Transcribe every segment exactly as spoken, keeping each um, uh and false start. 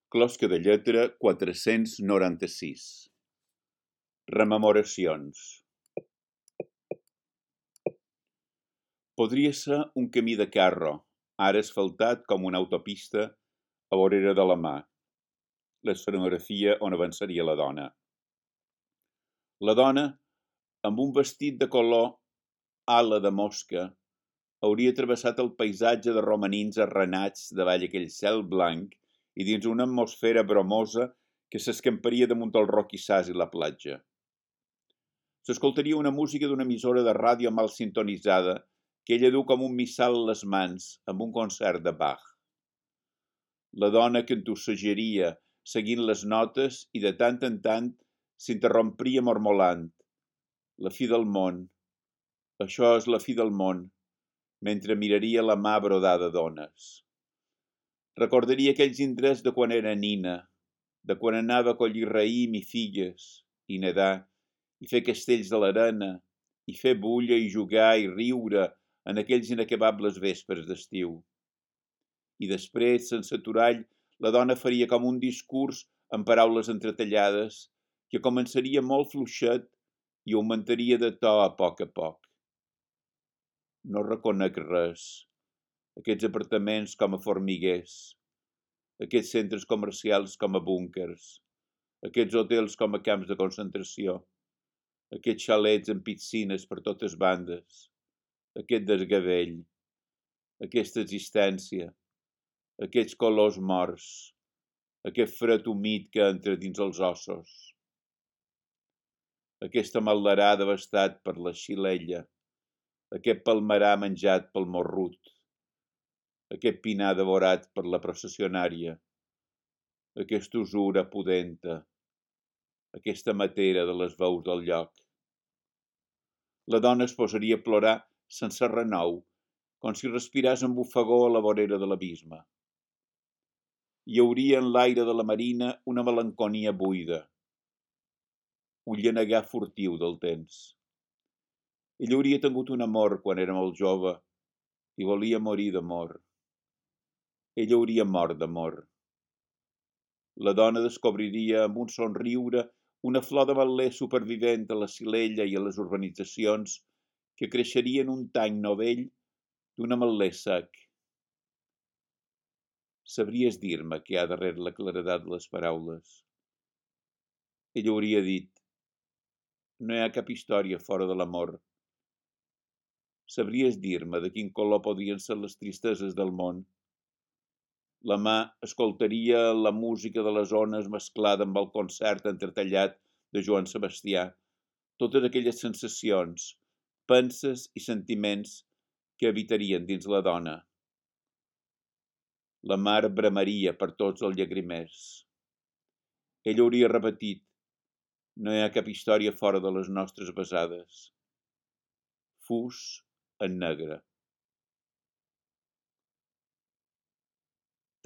Closca de lletra quatre-cents noranta-sis. Rememoracions. Podria ser un camí de carro, ara asfaltat com una autopista a vorera de la mà. L'escenografia on avançaria la dona. La dona, amb un vestit de color ala de mosca, hauria travessat el paisatge de romanins arrenats davall aquell cel blanc i dins una atmosfera bromosa que s'escamparia damunt el roquissars i la platja. S'escoltaria una música d'una emissora de ràdio mal sintonitzada que ella du com un missal a les mans amb un concert de Bach. La dona cantussejaria seguint les notes i de tant en tant s'interrompria mormolant. La fi del món. Això és la fi del món, mentre miraria la mà brodada d'ones. Recordaria aquells indrets de quan era nina, de quan anava a collir raïm i figues, i nedar, i fer castells de l'arena, i fer bulla i jugar i riure en aquells inacabables vespres d'estiu. I després, sense aturall, la dona faria com un discurs amb paraules entretallades que començaria molt fluixet i augmentaria de to a poc a poc. No reconec res. Aquests apartaments com a formiguers, aquests centres comercials com a búnkers, aquests hotels com a camps de concentració, aquests xalets amb piscines per totes bandes, aquest desgavell, aquesta existència, aquests colors morts, aquest fred humit que entra dins els ossos, aquesta maldarà devastat per la xilella, aquest palmerà menjat pel morrut, aquest pinar devorat per la processionària, aquesta usura pudenta, aquesta matera de les veus del lloc. La dona es posaria a plorar sense renou, com si respiràs amb bufagó a la vorera de l'abisme. Hi hauria en l'aire de la marina una melanconia buida, un llenegar furtiu del temps. Ell hauria tingut un amor quan era molt jove i volia morir d'amor. Ell hauria mort d'amor. La dona descobriria amb un somriure una flor de mal·ler supervivent a la Silella i a les urbanitzacions que creixeria en un tany novell d'un ametler sec. Sabries dir-me què hi ha darrere la claredat de les paraules? Ell hauria dit: no hi ha cap història fora de l'amor. Sabries dir-me de quin color podrien ser les tristeses del món? La mà escoltaria la música de les ones mesclada amb el concert entretallat de Joan Sebastià, totes aquelles sensacions, penses i sentiments que habitarien dins la dona. La mar bramaria per tots els llagrimers. Ell hauria repetit: no hi ha cap història fora de les nostres besades. Fus en negre.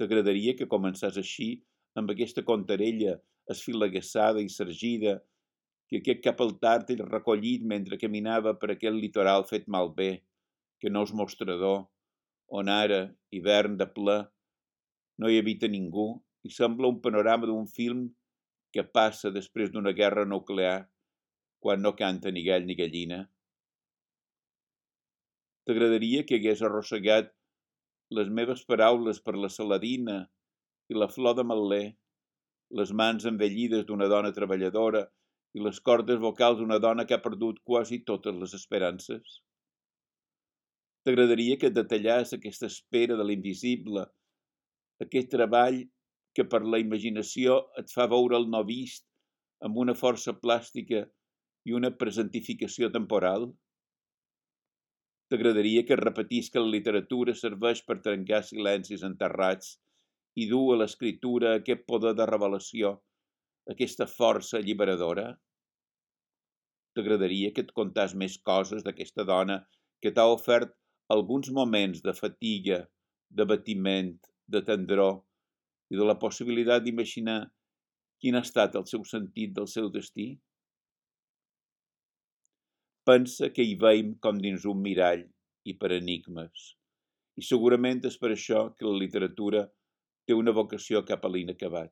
T'agradaria que començàs així, amb aquesta contarella esfilaguessada i sergida, que aquest cap al tard ell recollit mentre caminava per aquell litoral fet malbé, que no és mostrador, on ara, hivern de ple, no hi habita ningú i sembla un panorama d'un film que passa després d'una guerra nuclear, quan no canta ni gall ni gallina. T'agradaria que hagués arrossegat les meves paraules per la saladina i la flor de mal·ler, les mans envellides d'una dona treballadora i les cordes vocals d'una dona que ha perdut quasi totes les esperances? T'agradaria que et detallàs aquesta espera de l'invisible, aquest treball que per la imaginació et fa veure el no vist amb una força plàstica i una presentificació temporal? T'agradaria que repetís que la literatura serveix per trencar silencis enterrats i dur a l'escriptura aquest poder de revelació, aquesta força alliberadora? T'agradaria que et contàs més coses d'aquesta dona que t'ha ofert alguns moments de fatiga, de batiment, de tendror i de la possibilitat d'imaginar quin ha estat el seu sentit del seu destí? Pensa que hi veiem com dins un mirall i per enigmes, i segurament és per això que la literatura té una vocació cap a l'inacabat.